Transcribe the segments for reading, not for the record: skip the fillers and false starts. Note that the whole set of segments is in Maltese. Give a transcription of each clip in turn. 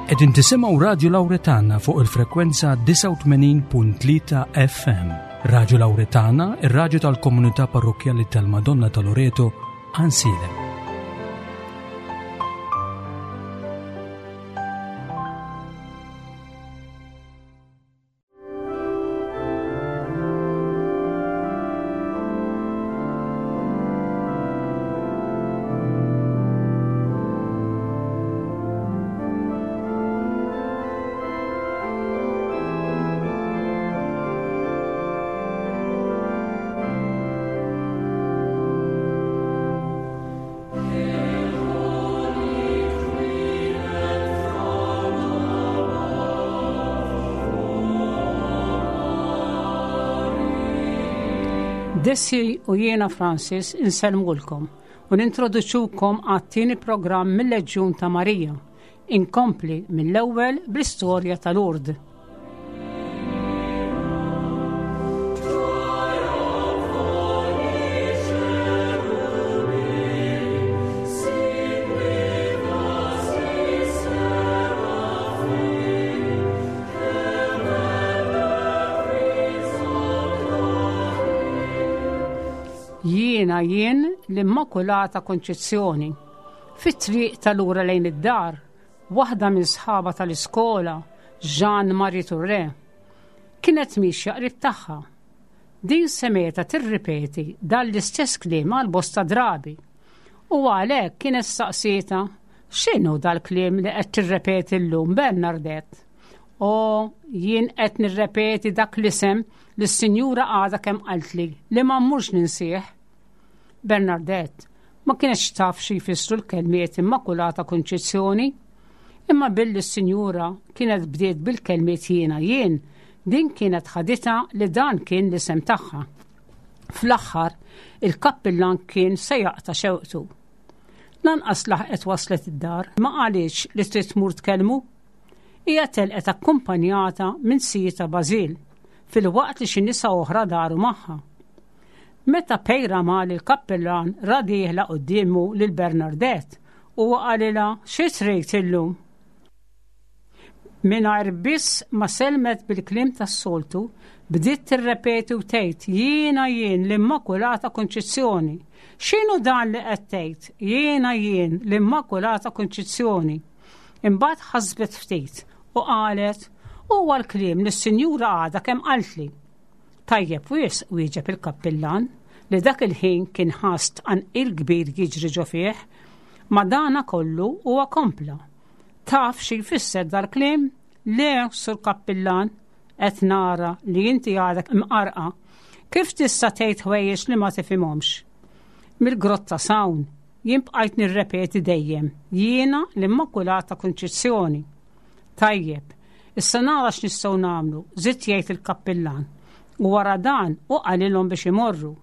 Qegħdin tisimgħu Radju Lawretana fuq il-frekwenza 89.3 FM. Radju Lawretana, ir-radju tal-komunità parrokkjali tal-Madonna ta' Loreto, Ansilem. Desi u jiena Francis insellmulkom u nintroduċukom għat-tieni programm mill-Leġjun ta' Marija. Inkompli mill-ewwel bl-istorja ta' Lourdes. Jiena jien l-Immakulata Konċizzjoni. Fit-triq tal-ura lejn id-dar, Waħda minn sħabha tal-iskola, Jeanne Marie Touré, kienet miexja qrib tagħha. Din semgħetha tirripeti dan l-istess kliem għal bosta drabi. U għalhekk kienet staqsietha, X'inhu dal-kliem li qed tirrepeti llum, Bernardette? O, jien qed nirrepeti dak l-isem li s-sinjura għadha kemm qaltli li ma mmurx ninsih. Bernardette ma kinetx taf xi jfissru l-kelmiet Immakulata Kunċizzjoni, imma billi s-sinjura kienet bdiet bil-kelmiet jiena jien, din kienet ħaditha li dan kien l-isem tagħha. Fl-aħħar, il-kappillan kien se jaqta' xewqtu. Lanqas laħqet waslet id-dar, ma qalitx li trid tmur tkellmu. Hija telqet akkumpanjata minn sijita Bażil, filwaqt li xi nisa oħra daru magħha. Meta Peyramal il-kappillan ra dieħla quddiemu lil Bernardette, huwa qalilha, Xi trid illum? Mingħajr biss ma sellmet bil-kliem tas-soltu, bdiet tirrepeti u tgħid, Jiena jien l-Immakulata Kunċizzjoni. X'inhu dan li qed tgħid? Jiena jien l-Immakulata Kunċizzjoni. Imbagħad ħasbet ftit u qalet, Huwa l-kliem li s-Sinjura għadha kemm qaltli. Tajjeb wisq, wieġeb il-kappillan, li dak il-ħin kien ħass tqanqil kbir jiġri ġo fih. Madana kollu huwa kompla. Taf xi jfisser dal-kliem? Le, sur kappillan, qed nara li inti għadek imqarqa. Kif tista' tgħid ħwejjeġ li ma tifhimhomx? Mill-grotta s'hawn, jien bqajt nirrepeti dejjem, jiena l-Immakulata Kunċizzjoni. Tajjeb, issa nara x'nistgħu nagħmlu, żied jgħid il-kappillan. U wara dan hu qalilhom biex imorru.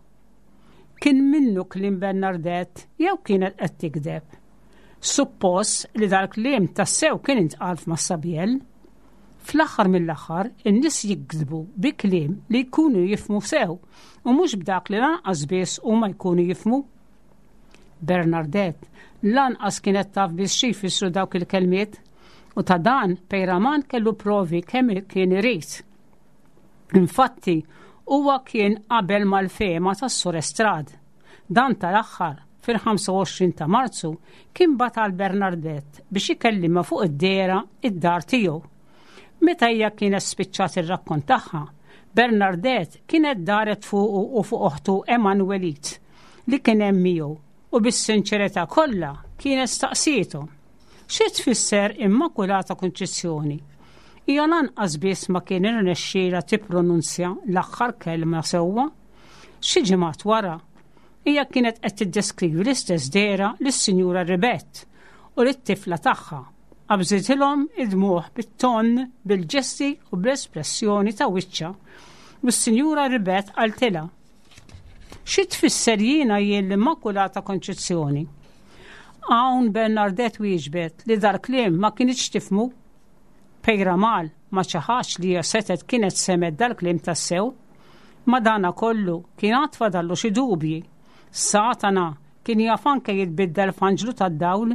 Kien minnu kliem Bernardette jew kienet qed tikdeb? Suppost li dal-kliem tassew kien intqal f'Massabiel. Fl-aħħar mill-aħħar, in-nies jikdbu bi kliem li jkunu jifhmu sew u mhux b'dak li lanqas biss huma jkunu jifhmu. Bernardette lanqas kienet taf biss xi jfissru dawk il-kelmiet u ta' dan Peyraman kellu provi kemm kien irid. Infatti, huwa kien qabel mal-fehma tas-Sur Estrad. Dan tal-aħħar, fil-25 ta' Marzu, kien bagħat għal Bernardette biex ikellimha fuq id-dehra id-dar tiegħu. Meta hija kienet spiċċat ir-rakkont tagħha, Bernardette kienet daret fuqu u fuq oħtu Emanuelite li kien hemm miegħu u bis-sinċerità kollha kienet staqsietu. Xi tfisser Immakulata Kunċizzjoni? Hija lanqas biss ma kien irnexxielha tippronunzja l-aħħar kelma sewwa. Xi ġimgħat wara, hija kienet qed tiddeskrivi l-istess dehra lis-Sinjura Ribett u lit-tifla tagħha. Qabżitilhom id-dmugħ bit-ton, bil-ġesti u bl-espressjoni ta' wiċċha u s-Sinjura Ribett qaltilha, Xi tfisser jiena jien l-Immakulata Konċizzjoni? Hawn Bernardette wieġbet li dal-kliem ma kinitx tifhmu. Peyramal ma ċaħadx li hija setgħet kienet semgħet dal-kliem tassew. Madanakollu kien għad fadallu xi dubji. Satana kien jaf anke jitbiddel f'anġlu tad-dawl.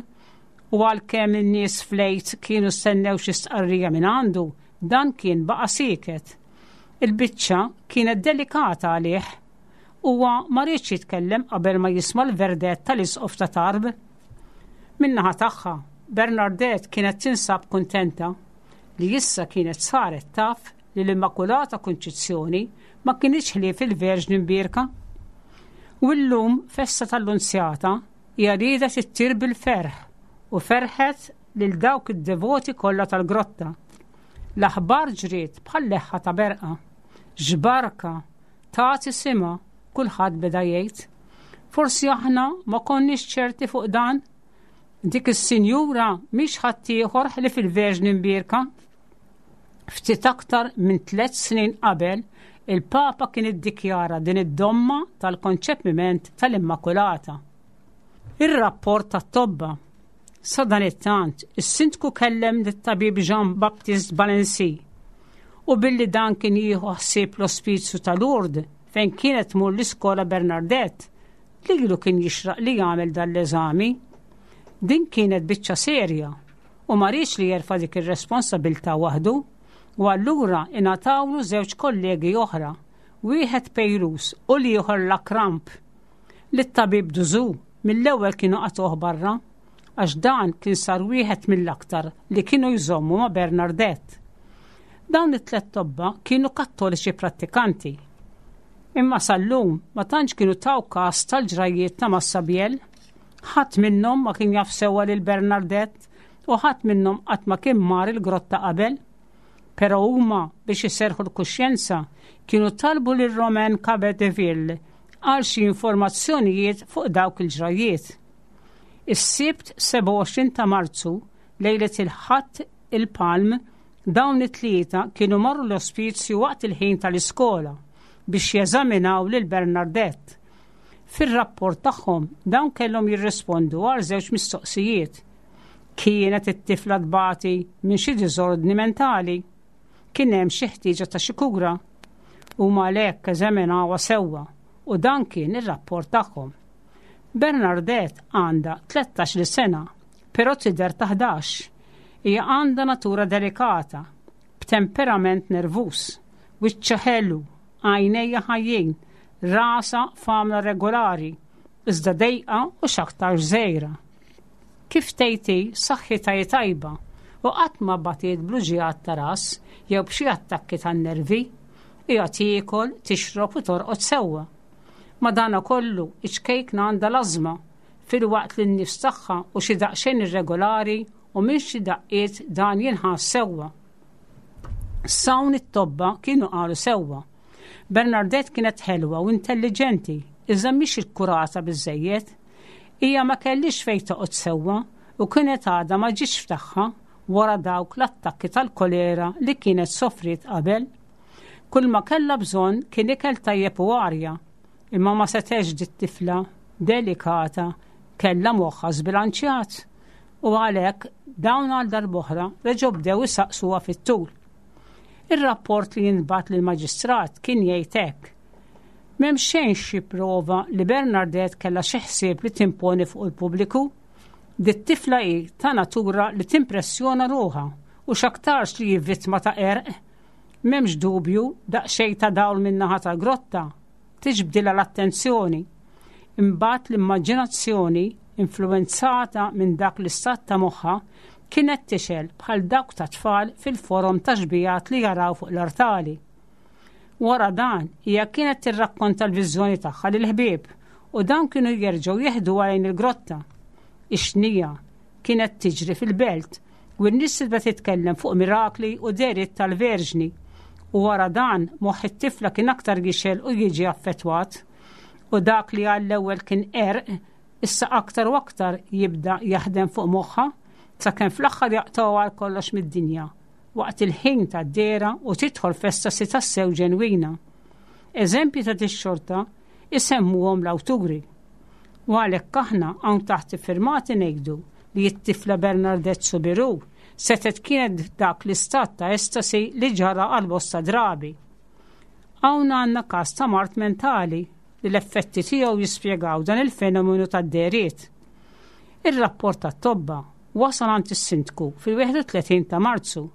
U għalkemm in-nies fl-Għid kienu stennew xi stqarrija minn għandu, dan kien baqa' sieket. Il-biċċa kienet delikata għalih. Huwa ma riedx jitkellem qabel ma jisma' l-verdett tal-Isqof ta' Tarbes. Min-naħa tagħha, Bernardette kienet tinsab kuntenta li issa kienet saret taf li l-Immakulata Kunċizzjoni ma kinitx ħlief il-Verġni Mbierka. U llum, festa tal-Lunzjata, hija riedet ittir bil-ferħ u ferħet lil dawk id-devoti kollha tal-grotta. L-aħbar ġriet bħal leħħa ta' berqa. X'barka! Tagħti simha, kulħadd beda jgħid. Forsi aħna ma konniex ċerti fuq dan? Dik is-sinjura mhix ħaddieħor ħlief il-Verġni Mbierka. Ftit aktar minn tlett snin qabel, il-Papa kien iddikjara din id-domma tal-konċepiment tal-Immakulata. Ir-rapport tat-tobba. Sadanittant, is-sindku kellem lit-tabib Jean-Baptiste Balency u billi dan kien jieħu ħsieb l-ospizju ta' Lourdes fejn kienet tmur l-iskola Bernardette, lilu kien jixraq li jagħmel dan l-eżami. Din kienet biċċa serja u ma riedx li jerfa' dik ir-responsabilità waħdu u allura ingħatawlu żewġ kollegi oħra, wieħed Pejrus u l-ieħor Lacrampe. Lit-tabib Duzu mill-ewwel kienu qatgħuh barra għax dan kien sar wieħed mill-aktar li kienu jżommu ma' Bernardette. Dawn it-tlett tobba kienu Kattoliċi prattikanti. Imma sal-lum ma tantx kienu taw kas tal-ġrajjiet ta' Massabielle. Ħadd minnhom ma kien jaf sewwa lil Bernardette u ħadd minnhom qatt ma kien mar il-grotta qabel. Però huma, biex iserrħu l-kuxjenza, kienu talbu lil Romain Cabedeville għal xi informazzjonijiet fuq dawk il-ġrajjiet. Is-Sibt 27 ta' Marzu, lejlet il-Ħadd il-Palm, dawn it-tlieta kienu marru l-ospizju waqt il-ħin tal-iskola biex jeżaminaw lil Bernardette. Fir-rapport tagħhom dawn kellhom jirrispondu għal żewġ mistoqsijiet. Kienet it-tifla tbati minn xi diżordni mentali? Kien hemm xi ħtieġa ta' xi kura? Huma għalhekk eżaminawha sewwa u dan kien ir-rapport tagħhom. Bernardette għandha 13-il sena, però tidher ta' 11. Hija għandha natura delikata, b'temperament nervuż, wiċċha ħelu, għajnejha ħajjin, rasha f'għamla regolari, iżda dejqa u x'aktarx żgħira. Kif tgħid hi, saħħitha hi tajba u qatt ma batiet bl-uġigħat ta' ras jew b'xi attakki tan-nervi. Hija tiekol, tixrob u torqod sewwa. Madankollu, iċ-ċkejkna għandha l-ażma, filwaqt li n-nifs tagħha hu xi daqsxejn irregolari u minn xi daqqiet dan jinħass sewwa. S'hawn it-tobba kienu qalu sewwa. Bernardette kienet ħelwa u intelliġenti, iżda mhix ikkurata biżżejjed. Hija ma kellhiex fejn toqgħod sewwa u kienet għadha ma ġietx f'tagħha wara dawk l-attakki tal-kolera li kienet sofriet qabel. Kull ma kellha bżonn kien ikel tajjeb u arja, imma ma setgħetx dit-tifla delikata kellha moħħha żbilanċjat u għalhekk dawn għal darb'oħra reġgħu bdew isaqsuha fit-tul. Ir-rapport li jintbagħat lill-maġistrat kien jgħid hekk. M'hemm xejn xi prova li Bernardette kellha xi ħsieb li timponi fuq il-pubbliku. Dit-tifla hi ta' natura li timpressjona ruħha u x'aktarx li hi vittma ta' qerq. M'hemmx dubju, daqsxejn ta' dawl min-naħa tal-grotta tiġbdilha l-attenzjoni. Imbagħad l-immaġinazzjoni, influwenzata minn dak l-istat ta' moħħha, kienet tixgħel bħal dawk tat-tfal fil-forom ta' xbigħat li jaraw fuq l-artali. Wara dan, hija kienet tirrakkonta l-viżjoni tagħha lill-ħbieb u dawn kienu jerġgħu jeħduha lejn il-grotta. Ix-xnija kienet tiġri fil-belt u n-nies tibda titkellem fuq mirakli u dehriet tal-Verġni. U wara dan, moħħ it-tifla kien aktar jixgħel u jiġi affettwat. U dak li għall-ewwel kien qerq, issa aktar u aktar jibda jaħdem fuq moħħha sakemm fl-aħħar jaqtgħuha għal kollox mid-dinja waqt il-ħin tad-dehra u tidħol f'estasi tassew ġenwina. Eżempji ta' dix-xorta isemmuhom l-awturi. U għalhekk aħna hawn taħt iffirmati ngħidu li t-tifla Bernardette Soubirous setgħet kienet f'dak l-istat ta' estasi li ġara għal bosta drabi. Hawn għandna każ ta' mard mentali li l-effetti tiegħu jispjegaw dan il-fenomenu tad-dehriet. Ir-rapport tat-tobba. wasal għand is-Sindku fil-31 ta' Marzu.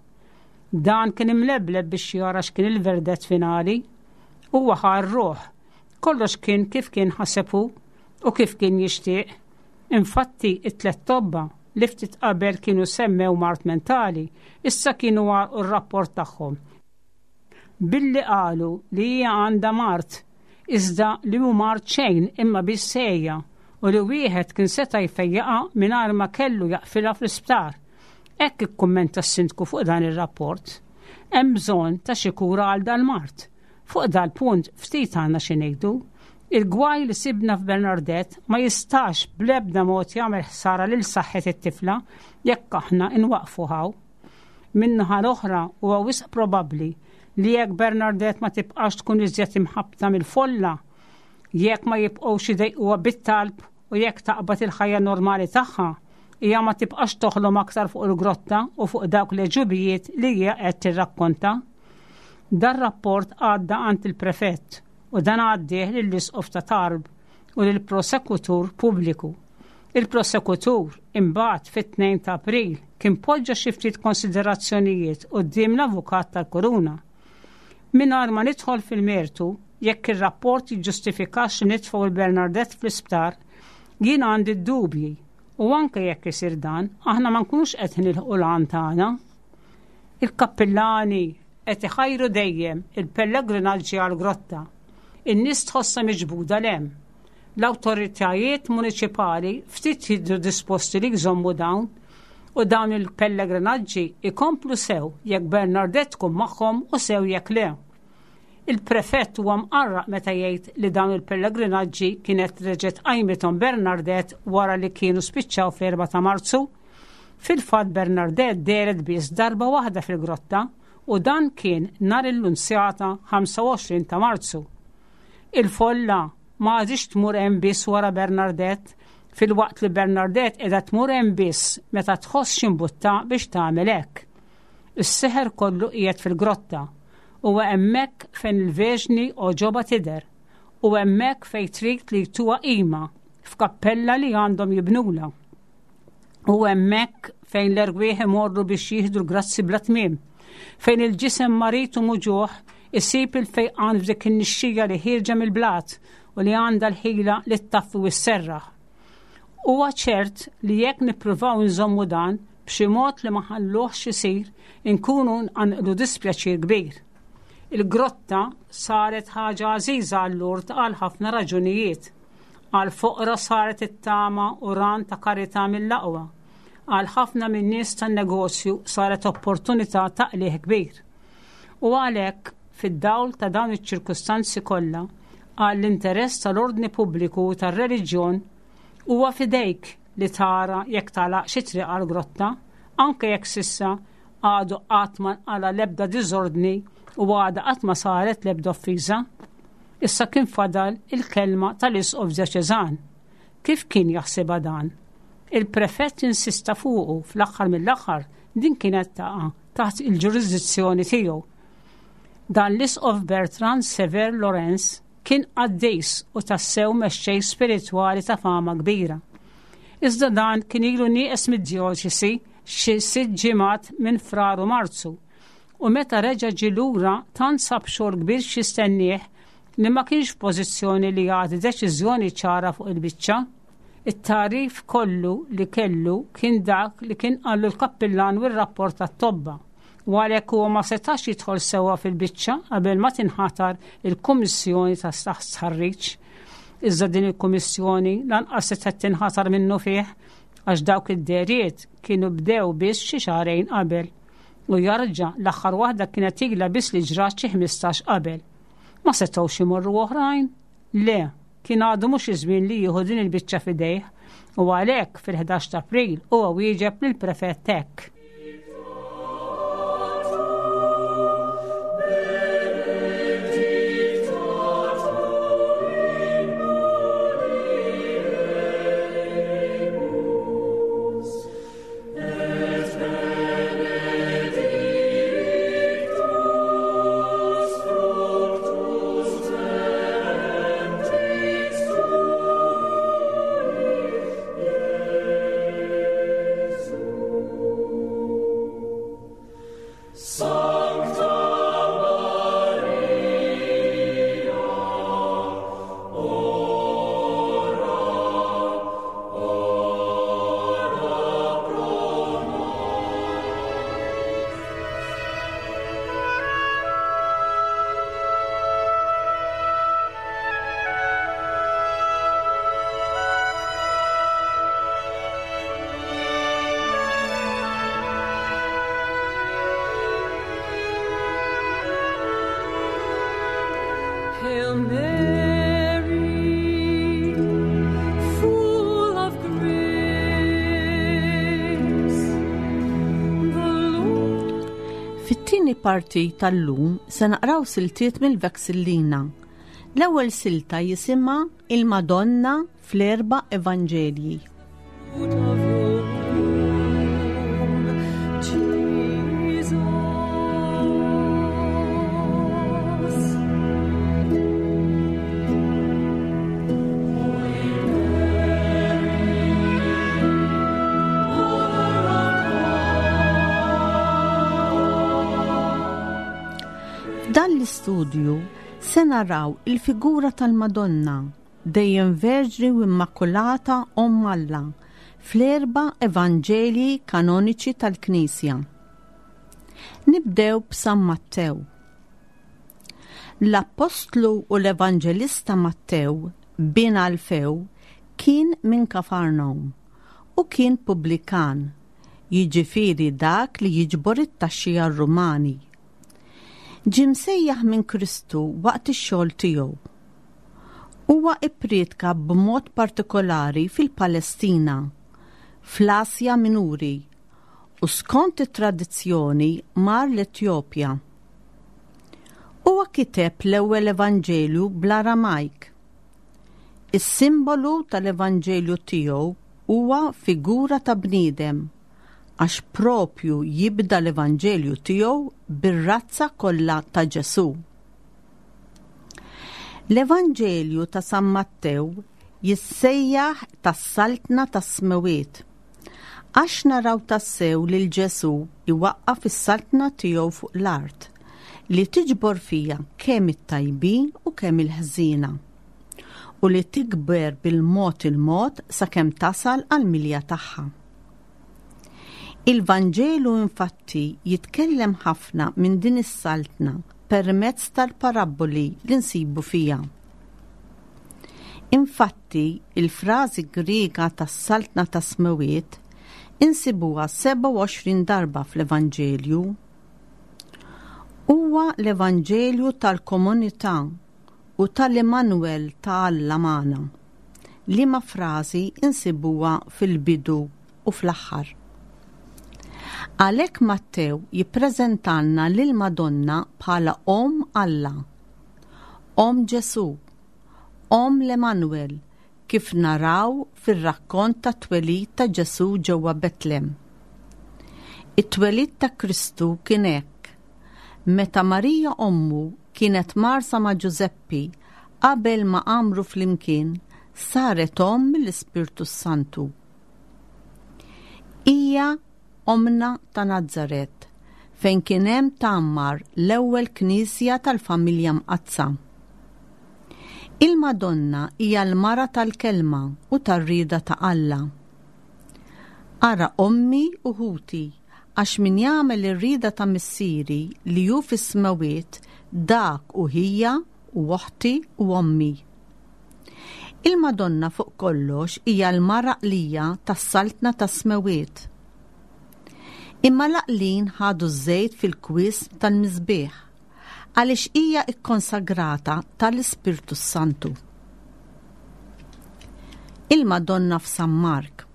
Dan kien imlebleb biex jara x'kien il-verdett finali. Huwa ħa r-ruħ. Kollox kien kif kien ħaseb hu u kif kien jixtieq. Infatti, it-tlett tobba, li ftit qabel kienu semmew mard mentali, issa kienu għalqu r-rapport tagħhom billi qalu li hija għandha mard, iżda li mhu mard xejn imma biss għeja u li wieħed kien seta' jfejjaqha mingħajr ma kellu jaqfilha fl-isptar. Hekk ikkummenta s-Sindku fuq dan ir-rapport. Hemm bżonn ta' xi kura għal dal-mard. Fuq dal-punt ftit għandna xi ngħidu. Il-gwaj li sibna f'Bernardette ma jistax bl-ebda mod jagħmel ħsara lil saħħet it-tifla jekk aħna nwaqqfu hawn. Min-naħa l-oħra huwa wisq probabbli li jekk Bernardette ma tibqax tkun iżjed imħabbta mill-folla, jekk ma jibqgħux idejquha bit-talb u jekk taqbad il-ħajja normali tagħha, hija ma tibqax toħlom aktar fuq il-grotta u fuq dawk l-għeġubijiet li hija qed tirrakkonta. Dar-rapport għadda għand il-Prefett u dan għaddieh lill-Isqof ta' Tarbes u lill-Prosekutur Pubbliku. Il-Prosekutur, imbagħad fit-2 ta' April, kien poġġa xi ftit konsiderazzjonijiet quddiem l-Avukat tal-Kuruna. Mingħajr ma nidħol fil-mertu, jekk ir-rapport jiġġustifikax li nitfgħu 'l Bernardette fl-isptar, jien għandi d-dubji u anke jekk isir dan, aħna ma nkunux qed nilħqu l-għan tagħna. Il-kappillani qed iħajru dejjem il-pellegrinaġġi għall-grotta. In-nies tħossha miġbuda 'l hemm. L-awtoritajiet muniċipali ftit jidhru disposti li jżommu dawn u dawn il-pellegrinaġġi jkomplu sew jekk Bernardette tkun magħhom u sew jekk le. Il-prefett huwa mqarraq meta jgħid li dawn il-pellegrinaġġi kienet reġgħet qajmithom Bernardette wara li kienu spiċċaw fl-4 ta' Marzu. Fil-fatt Bernardette dehret biss darba waħda fil-grotta u dan kien nhar il-Lunzjata 25 ta' Marzu. Il-folla ma għadhiex tmur hemm biss wara Bernardette, filwaqt li Bernardette qiegħda tmur hemm biss meta tħoss xi mbutta biex tagħmel hekk. Is-seħer kollu qiegħed fil-grotta. Huwa hemmhekk fejn il-Verġni għoġobha tidher u hemmhekk fejn trid li jtuha qima f'kappella li għandhom jibnulha. U hemmhekk fejn l-erwieħ imorru biex jieħdu l-grazzi bla tmiem, fejn il-ġisem marid u muġugħ isib il-fejqan f'dik in-nixxija li ħierġa mill-blat u li għandha l-ħila li ttaffi u sserraħ. Huwa ċert li jekk nippruvaw nżommu dan b'xi mod li ma ħalluhx isir, inkunu nqanqlu dispjaċir kbir. Il-grotta saret ħaġa għażiża għal Lourdes għal ħafna raġunijiet. Għall-foqra saret it-tama u ran ta' karità mill-aqwa. Għal ħafna min-nies tan-negozju saret opportunità ta' qligħ kbir. U għalhekk, fid-dawl ta' dawn iċ-ċirkustanzi kollha, għall-interess tal-ordni pubbliku u tar-reliġjon, huwa f'idejk li tara jekk tagħlaqx it-triq għall-grotta, anke jekk s'issa għadu qatt ma nqala' l-ebda diżordni u għadha qatt ma saret l-ebda offiża. Issa kien fadal il-kelma tal-Isqof Djoċeżan. Kif kien jaħsibha dan? Il-Prefett insista fuqu fl-aħħar mill-aħħar din kienet taqa' taħt il-ġurisdizzjoni tiegħu. Dan l-Isqof Bertrand Sever Lorenz kien qaddis u tassew mexxej spiritwali ta' fama kbira. Iżda dan kien ilu nieqes mid-djoċesi xi sitt ġimgħat minn Frar u Marzu u meta reġa' ġie lura tant sab xogħol kbir x'jistennieh li ma kienx f'pożizzjoni li jagħti deċiżjoni ċara fuq il-biċċa. It-tagħrif kollu li kellu kien dak li kien qallu l-kappillan u r-rapport tat-tobba, u għalhekk huwa ma setax jidħol sewwa fil-biċċa qabel ma tinħatar il-kummissjoni ta' stħarriġ. Iżda din il-kummissjoni lanqas setgħet tinħatar minnufih għax dawk id-dehriet kienu bdew biss xi xahrejn qabel. U jarġa' l-aħħar waħda kienet ilha biss li ġrat xi 15 qabel. Ma setgħux imorru oħrajn? Le, kien għadu mhux iż-żmien li jieħu din il-biċċa f'idejh u għalhekk fil-11 ta' April huwa wieġeb lill-prefett hekk. Fit-tieni parti tal-lum se naqraw siltiet mill-Vexillina. L-ewwel silta jisimha Il-Madonna fl-erba' Evanġelji. F'dan l-istudju se naraw il-figura tal-Madonna, dejjem Verġni u Immakulata Omm Alla, fl-erba' Evanġelji kanoniċi tal-Knisja. Nibdew b'San Mattew. L-Appostlu u l-Evanġelista Mattew, bin Alfew, kien minn Kafarnawm u kien pubblikan, jiġifieri dak li jiġbor it-taxxi għar-Rumani. Ġie msejjaħ minn Kristu waqt ix-xogħol tiegħu. Huwa ipprietka b'mod partikolari fil-Palestina, fl-Asja Minuri, u skont it-tradizzjoni mar l-Etjopja. Huwa kiteb l-ewwel Evanġelju bl-Aramajk. Is-simbolu tal-Evanġelju tiegħu huwa figura ta' bniedem għax propju jibda l-Evanġelju tiegħu bir-razza kollha ta' Ġesù. L-Evanġelju ta' San Mattew jissejjaħ tas-Saltna tas-Smewwiet. Għax naraw tassew lil Ġesù jwaqqaf is-saltna tiegħu fuq l-art, li tiġbor fiha kemm it-tajbin u kemm il-ħżiena, u li tikber bil-mod il-mod sakemm tasal għall-milja tagħha. Il-Vanġelu infatti jitkellem ħafna minn din is-saltna permezz tal-parabboli li nsibu fiha. Infatti, il-frażi Griega tas-Saltna tas-Smewwiet insibuha 27 darba fl-Evanġelju. Huwa l-Evanġelju tal-komunità u tal-Immanuel ta' Alla magħna, liema frażi nsibuha fil-bidu u fl-aħħar. Għalhekk Mattew jippreżentalna lill-Madonna bħala Omm Alla, Omm Ġesù, Omm l-Emmanuel, kif naraw fir-rakkont tat-twelid ta' Ġesù ġewwa Betlem. It-twelid ta' Kristu kien hekk, meta Marija ommu kienet mgħarrsa ma' Ġużeppi qabel ma għammru flimkien, saret omm mill-Ispirtu s-Santu. Hija Ommna ta' Nazaret, fejn kien hemm tgħammar l-ewwel knisja tal-Familja Mqaddsa. Il-Madonna hija l-mara tal-Kelma u tar-rieda ta' Alla. Ara ommi u ħuti, għax min jagħmel ir-rieda ta' Missieri li hu fis-smewwiet, dak hu ħija u oħti u ommi. Il-Madonna fuq kollox hija l-mara għqlija tas-Saltna tas-Smewwiet. Imma l-għaqlin ħadu ż-żejt fil-kwiesm tal-misbieħ, għaliex hija kkonsagrata tal-Ispirtu s-Santu. Il-Madonna f'San Mark.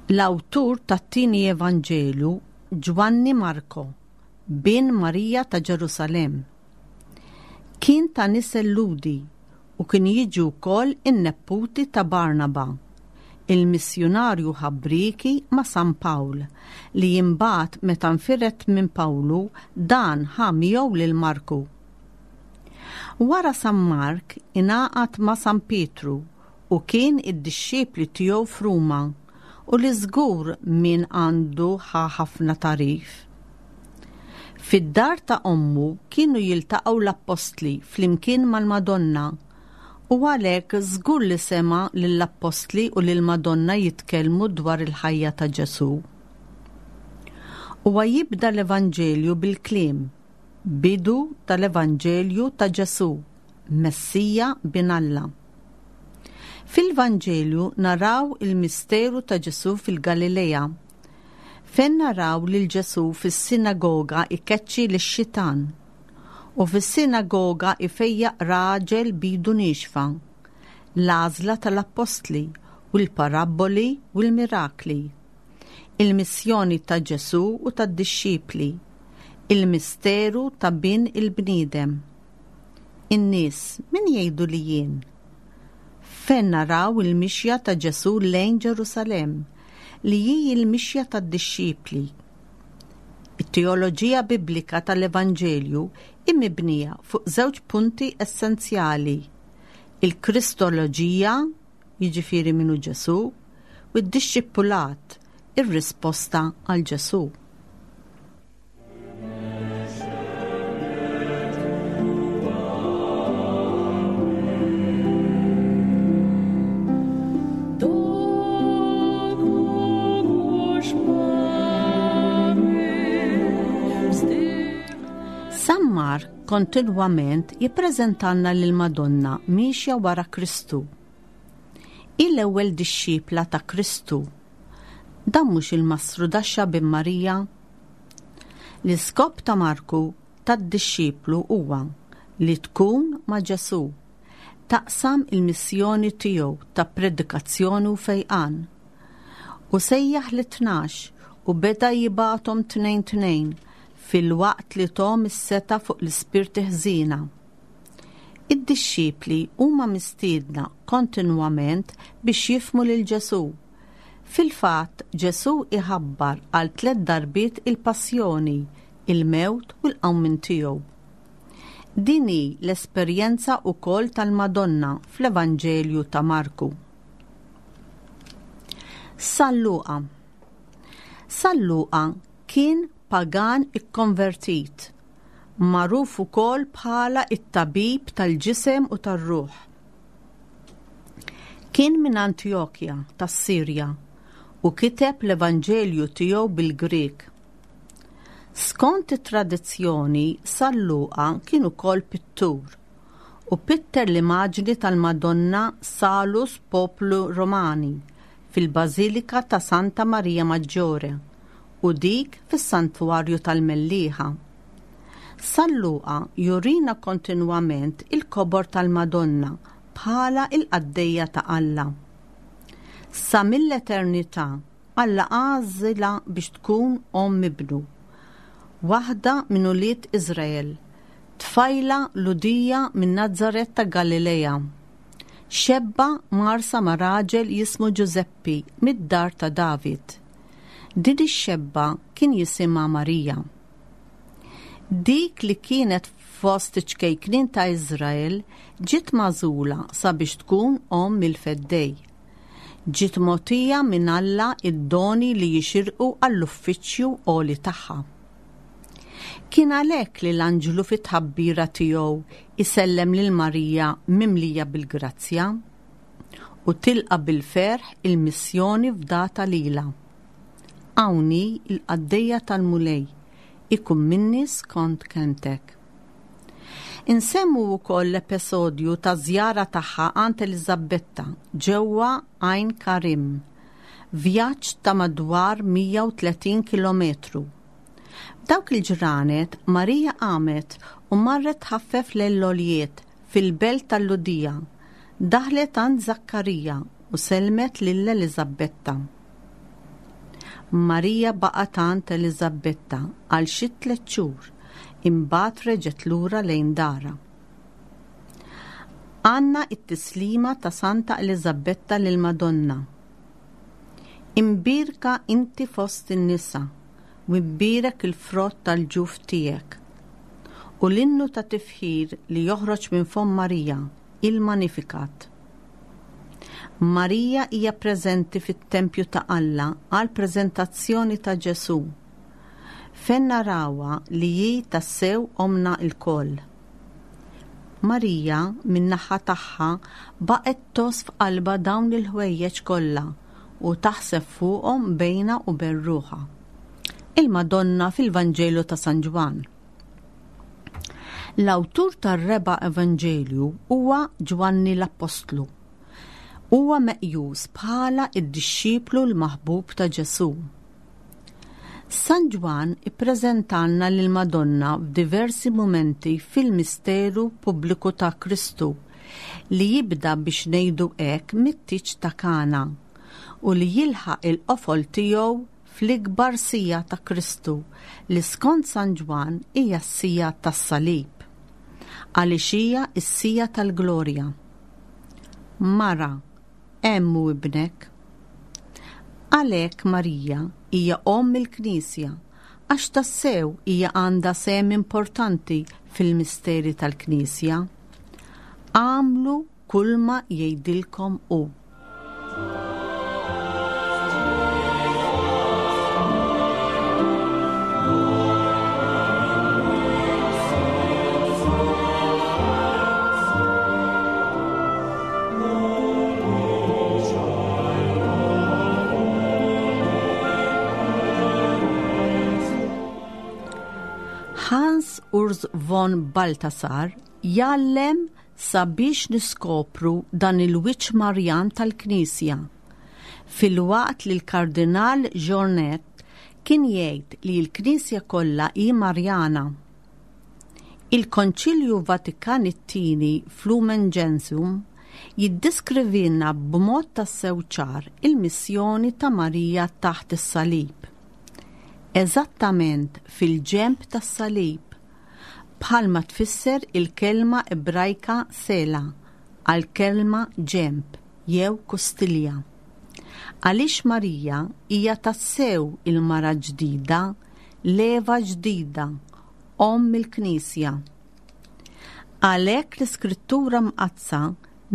L-awtur tat-tieni Evanġelju, Ġwanni Marko, bin Marija ta' Ġerusalemm. Kien ta' nisel Lhudi u kien jiġi wkoll in-nepputi ta' Barnaba, il-missjunarju ħabbrieki ma' San Pawl, li imbagħad meta nfired minn Pawlu dan ħa miegħu lil Marku. Wara San Mark ingħaqad ma' San Pietru u kien id-dixxipli tiegħu f'Ruma u li żgur minn għandu ħa ħafna tagħrif. Fid-dar ta' ommu kienu jiltaqgħu l-appostli flimkien mal-Madonna u għalhekk żgur li sema' lill-appostli u lill-Madonna jitkellmu dwar il-ħajja ta' Ġesù. Huwa jibda l-Evanġelju bil-kliem, Bidu tal-Evanġelju ta' Ġesù, Messija Bin Alla. Fil-Vanġelju naraw il-misteru ta' Ġesù fil-Galilea, fejn naraw lil Ġesù fis-sinagoga jkeċċi lix-xitan u fis-sinagoga jfejjaq raġel b'idu niexfa, l-għażla tal-appostli u l-parabboli u l-mirakli, il-missjoni ta' Ġesù u tad-dixxipli, Il-misteru ta' bin il-bniedem. In-nies min jgħidu li jien? Fejn naraw il-mixja ta' Ġesù lejn Ġerusalemm, li hi l-mixja tad-dixxipli. It-teoloġija Biblika tal-Evanġelju hi mibnija fuq żewġ punti essenzjali, il-Kristoloġija, jiġifieri min hu Ġesù, u d-dixxipulat, ir-risposta għal Ġesù. San Mark kontinwament jippreżentalna lil Madonna miexja wara Kristu. Hi l-ewwel dixxipla ta' Kristu. Dan mhux il-mastrudaxxa bin Marija? L-iskop ta' Marku tad-dixxiplu huwa li tkun ma' Ġesù, taqsam il-missjoni tiegħu ta' predikazzjoni u fejqan. U sejjaħ lit-tnax u beda jibgħathom tnejn tnejn filwaqt li thom is-setgħa fuq l-ispirti ħżiena. Id-dixxipli huma mistiedna kontinwament biex jifhmu lil Ġesù. Fil-fatt, Ġesù jħabbar għal tlett darbiet il-passjoni, il-mewt u l-qawmien tiegħu. Din hi l-esperjenza wkoll tal-Madonna fl-Evanġelju ta' Marku. San Luqa San Luqa kien pagan ikkonvertit, magħruf ukoll bħala t-tabib tal-ġisem u tar-ruħ. Kien minn Antjokja tas-Sirja u kiteb l-Evanġelju tiegħu bil-Grieg. Skont it-tradizzjoni, San Luqa kien ukoll pittur u pitter l-imaġni tal-Madonna Salus Populi Romani fil-Bażilika ta' Santa Maria Maggiore u dik fis-Santwarju tal-Mellieħa. San Luqa jurina kontinwament il-kobor tal-Madonna bħala l-qaddejja ta' Alla. Sa mill-eternità, Alla għażilha biex tkun omm ibnu, waħda minn ulied Iżrael, tfajla Lhudija minn Nazaret ta' Galilea. Xebba mgħarrsa ma' raġel jismu Ġużeppi mid-dar ta' David. Din ix-xebba kien jisimha Marija. Dik li kienet fost iċ-ċkejknin ta' Iżrael ġiet magħżula sabiex tkun omm il-Feddej. Ġiet mogħtija minn Alla d-doni li jixirqu għall-uffiċċju għoli tagħha. Kien għalhekk li l-anġlu fit-tħabbira tiegħu jsellem lil Marija mimlija bil-grazzja u tilqa' bil-ferħ il-missjoni fdata lilha. Hawn hi l-qaddejja tal-Mulej, ikun minni skont kelmtek. Insemmu wkoll l-episodju taż-żjara tagħha għand Eliżabbetta ġewwa Għajn Karim, vjaġġ ta' madwar 130 kilometru. F'dawk il-ġranet, Marija qamet u marret tħaffef lejn l-għoljiet fil-belt tal-Lhudija, daħlet għand Żakkarija u sellmet lil Eliżabbetta. Marija baqgħet għand Eliżabbetta għal xi tlett xhur, imbagħad reġgħet lura lejn darha. Għandna t-tislima ta' Santa Eliżabbetta lill-Madonna. Imbierka inti fost in-nisa, u imbierek il-frott tal-ġuf tiegħek. U l-innu ta' tifħir li joħroġ minn fomm Marija, il-Magnificat. Marija hija preżenti fit-tempju ta' Alla għall-preżentazzjoni ta' Ġesù, fejn narawha li hi tassew Ommna lkoll. Marija, min-naħa tagħha, baqgħet tgħożż f'qalbha dawn il-ħwejjeġ kollha u taħseb fuqhom bejnha u bejn ruħha. Il-Madonna fil-Vanġelu ta' San Ġwann. L-awtur tar-reba' Evanġelju huwa Ġwanni l-Appostlu. Huwa meqjus bħala d-dixxiplu l-maħbub ta' Ġesù. San Ġwann ippreżentalna lill-Madonna f'diversi mumenti fil-misteru pubbliku ta' Kristu li jibda biex ngħidu hekk mit-tieġ ta' Kana u li jilħaq il-qofol tiegħu. fl-ikbar siegħa ta' Kristu li skont San Ġwann hija s-siegħa tas-salib. Għaliex hija s-siegħa tal-glorja. Mara, hemm hu ibnek. Għalhekk Marija hija omm il-Knisja għax tassew hija għandha sehem importanti fil-misteri tal-Knisja. Agħmlu kulma jgħidilkom hu. Hans Urs von Balthasar jgħallem sabiex niskopru dan il-wiċċ Marjan tal-Knisja, filwaqt li l-Kardinal Journet kien jgħid li l-Knisja kollha hi Marjana. Il-Konċilju Vatikan it-Tieni f'Lumen Gentium jiddiskrivilna b'mod tassew ċar il-missjoni ta' Marija taħt is-salib. Eżattament fil-ġenb tas-salib, bħalma tfisser il-kelma Ebrajka sela għall-kelma ġenb jew kustilja. Għaliex Marija hija tassew il-mara ġdida, l-Eva ġdida, Omm il-Knisja. Għalhekk l-Iskrittura Mqaddsa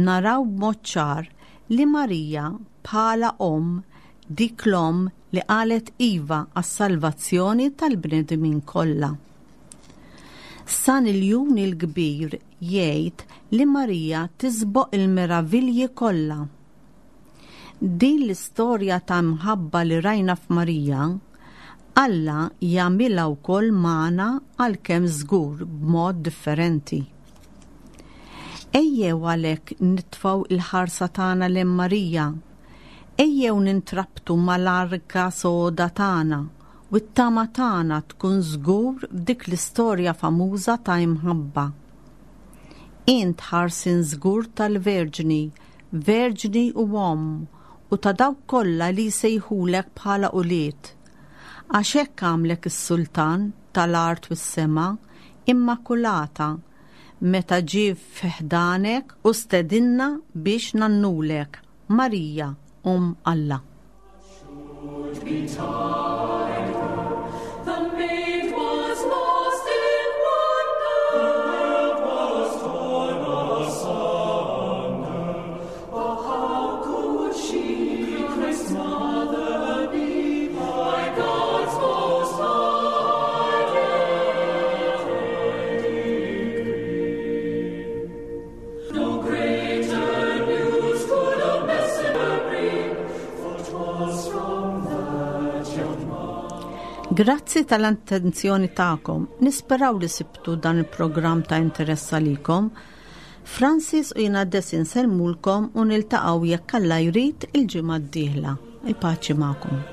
naraw b'mod ċar li Marija bħala omm, dik l-omm li qalet iva għas-salvazzjoni tal-bnedmin kollha. San Iljun il-Kbir jgħid li Marija tisboq il-meravilji kollha. Din l-istorja ta' mħabba li rajna f'Marija, Alla jagħmilha wkoll magħna għalkemm żgur b'mod differenti. Ejjew għalhekk nitfgħu l-ħarsa tagħna lejn Marija. Ejjew nintrabtu mal-arka soda tagħna u t-tama tagħna tkun żgur f'dik l-istorja famuża ta' imħabba. Int ħarsien żgur tal-Verġni, Verġni u Omm, u ta' dawk kollha li jsejħulek bħala ulied. Għax hekk għamlek is-Sultan tal-art u s-sema, Immakulata, meta ġie fi ħdanek u stedinna biex ngħannulek, Marija, Omm Alla. Grazzi tal-attenzjoni tagħkom. Nisperaw li sibtu dan il-programm ta' interess għalikom. Francis u jiena Desi nsellmulkom u niltaqgħu jekk Alla jrid il-ġimgħa d-dieħla. Il-paċi magħkom.